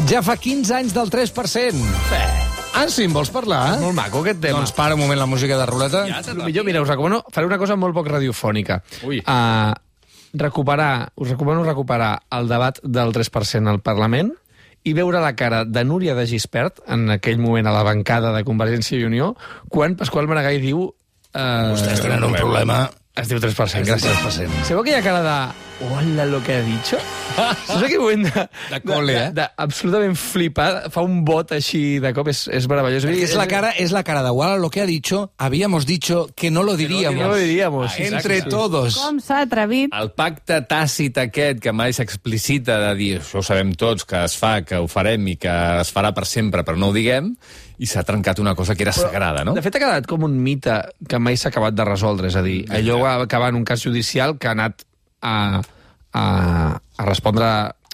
Ja fa 15 anys del 3%. Ah, sí, em vols parlar? Molt maco, aquest tema. Doncs para un moment la música de ruleta. Millor, mira, us recomano, faré una cosa molt poc radiofònica. Ui. Us recomano recuperar el debat del 3% al Parlament i veure la cara de Núria de Gispert, en aquell moment a la bancada de Convergència i Unió, quan Pasqual Maragall diu... Vostès tenen un problema. Es diu 3%, gràcies. 3%. Sabeu aquella cara de... Hola, lo que ha dicho? Saps aquell moment De cole, absolutament flipar, fa un bot així de cop, és meravellós. Es la cara de Walla, lo que ha dicho, habíamos dicho que no lo diríamos. No lo diríamos. Entre todos. Com s'ha atrevit? El pacte tàcit aquest, que mai s'explicita de dir això ho sabem tots, que es fa, que ho farem i que es farà per sempre, però no ho diguem, i s'ha trencat una cosa que era sagrada, no? De fet, ha quedat com un mite que mai s'ha acabat de resoldre. És a dir, allò va acabar en un cas judicial que ha anat a respondre...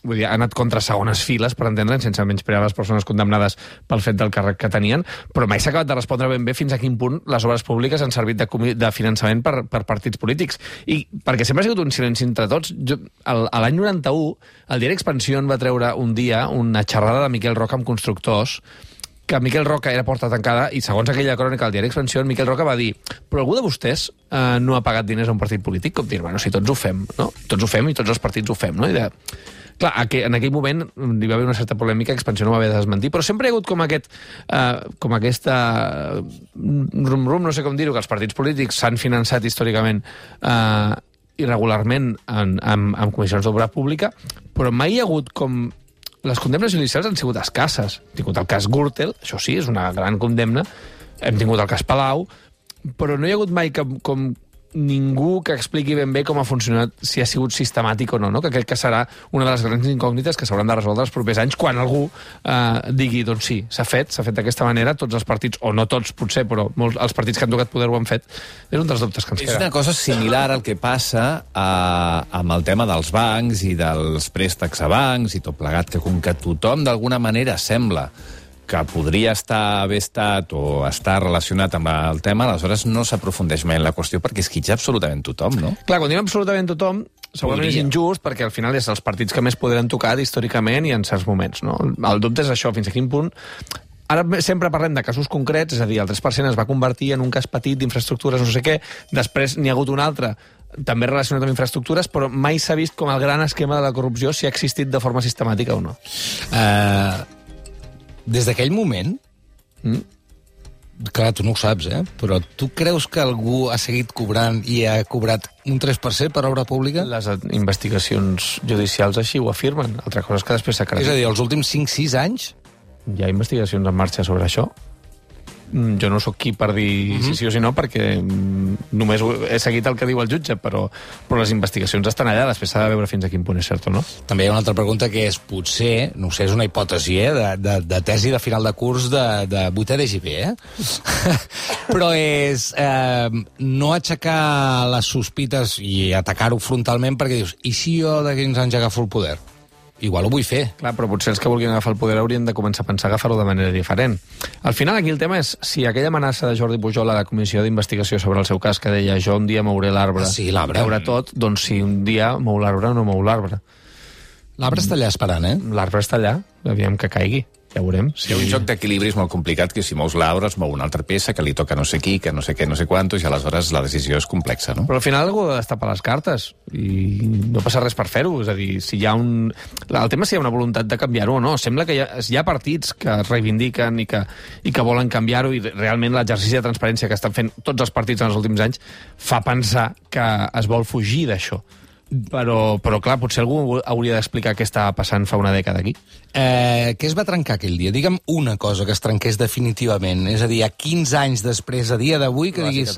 Vull dir, ha anat contra segones files, per entendre'n, sense menysprear les persones condemnades pel fet del càrrec que tenien, però mai s'ha acabat de respondre ben bé fins a quin punt les obres públiques han servit de finançament per partits polítics. I perquè sempre ha sigut un silenci entre tots. A l'any 91, el diari Expansión va treure un dia una xerrada de Miquel Roca amb constructors, que Miquel Roca era porta tancada, i segons aquella crònica del diari Expansión, Miquel Roca va dir: però algú de vostès no ha pagat diners a un partit polític? Com dir, bueno, si tots ho fem, no? Tots ho fem i tots els partits ho fem, no? Clar, en aquell moment hi va haver una certa polèmica, Expansió no va haver de desmentir, però sempre hi ha hagut com aquesta rum-rum, no sé com dir-ho, que els partits polítics s'han finançat històricament irregularment amb comissions d'obra pública, però mai hi ha hagut com... Les condemnes judicials han sigut escasses. Hem tingut el cas Gürtel, això sí, és una gran condemna, hem tingut el cas Palau, però no hi ha hagut mai com ningú que expliqui ben bé com ha funcionat, si ha sigut sistemàtic o no, que crec que serà una de les grans incògnites que s'hauran de resoldre els propers anys, quan algú digui, doncs sí, s'ha fet d'aquesta manera, tots els partits, o no tots potser, però els partits que han tocat poder ho han fet. És un dels dubtes que ens queda. És una cosa similar al que passa amb el tema dels bancs i dels préstecs a bancs i tot plegat, que com que tothom d'alguna manera sembla que podria haver estat o estar relacionat amb el tema, aleshores no s'aprofundeix mai en la qüestió perquè es quitja absolutament tothom, no? Clar, quan diuen absolutament tothom, segurament és injust, perquè al final és els partits que més poder han tocat històricament i en certs moments, no? El dubte és això, fins a quin punt... Ara sempre parlem de casos concrets, és a dir, el 3% es va convertir en un cas petit d'infraestructures, no sé què, després n'hi ha hagut un altre també relacionat amb infraestructures, però mai s'ha vist com el gran esquema de la corrupció si ha existit de forma sistemàtica o no. Des d'aquell moment, clar, tu no ho saps, però tu creus que algú ha seguit cobrant i ha cobrat un 3% per obra pública? Les investigacions judicials així ho afirmen. Altra cosa és que després s'acredita. És a dir, els últims 5-6 anys? Hi ha investigacions en marxa sobre això. Jo no sóc qui per dir sí o sí no, perquè només he seguit el que diu el jutge, però les investigacions estan allà, després s'ha de veure fins a quin punt és cert o no. També hi ha una altra pregunta que és, potser, no sé, és una hipòtesi, de tesi de final de curs de 8è d'EGB, però és no aixecar les sospites i atacar-ho frontalment perquè dius, i si jo d'aquí uns anys agafo el poder? Igual ho vull fer. Clar, però potser els que vulguin agafar el poder haurien de començar a pensar agafar-ho de manera diferent. Al final, aquí el tema és si aquella amenaça de Jordi Pujol a la comissió d'investigació sobre el seu cas, que deia jo un dia mouré l'arbre, veure tot, doncs si un dia mou l'arbre o no mou l'arbre. L'arbre està allà esperant, L'arbre està allà, aviam que caigui. Ja ho veurem. Hi ha un joc d'equilibris molt complicat, que si mous l'arbre es mou una altra peça que li toca no sé qui, que no sé què, no sé quantos, i aleshores la decisió és complexa, no? Però al final algú ha d'estapar les cartes i no passa res per fer-ho. És a dir, si hi ha un... El tema és si hi ha una voluntat de canviar-ho o no. Sembla que hi ha partits que es reivindiquen i que volen canviar-ho, i realment l'exercici de transparència que estan fent tots els partits en els últims anys fa pensar que es vol fugir d'això. Però clar, potser algú hauria d'explicar què està passant fa una dècada aquí. Què es va trencar aquell dia? Digue'm una cosa que es trenqués definitivament. És a dir, a 15 anys després, a dia d'avui, que diguis...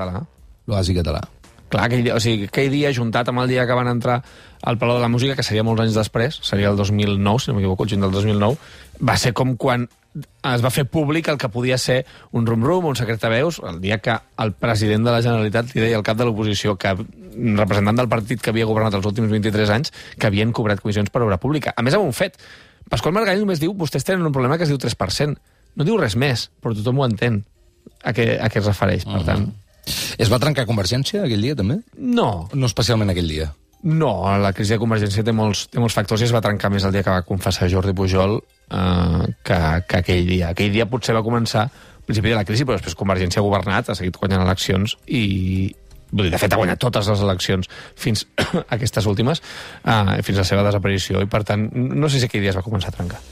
L'oasi català. Clar, aquell dia, juntat amb el dia que van entrar al Palau de la Música, que seria molts anys després, seria el 2009, si no m'equivoco, el juny del 2009, va ser com quan es va fer públic el que podia ser un rum-rum, un secret de veus, el dia que el president de la Generalitat li deia al cap de l'oposició, que representant del partit que havia governat els últims 23 anys, que havien cobrat comissions per obra pública. A més, amb un fet. Pasqual Maragall només diu, vostès tenen un problema que es diu 3%. No diu res més, però tothom ho entén a què es refereix, per tant. Es va trencar Convergència aquell dia, també? No. No especialment aquell dia. No, la crisi de Convergència té molts factors i es va trencar més el dia que va confessar Jordi Pujol que aquell dia. Aquell dia potser va començar al principi de la crisi, però després Convergència ha governat, ha seguit guanyant eleccions i, vull dir, de fet ha guanyat totes les eleccions fins a aquestes últimes, fins a la seva desaparició, i per tant no sé si aquell dia es va començar a trencar.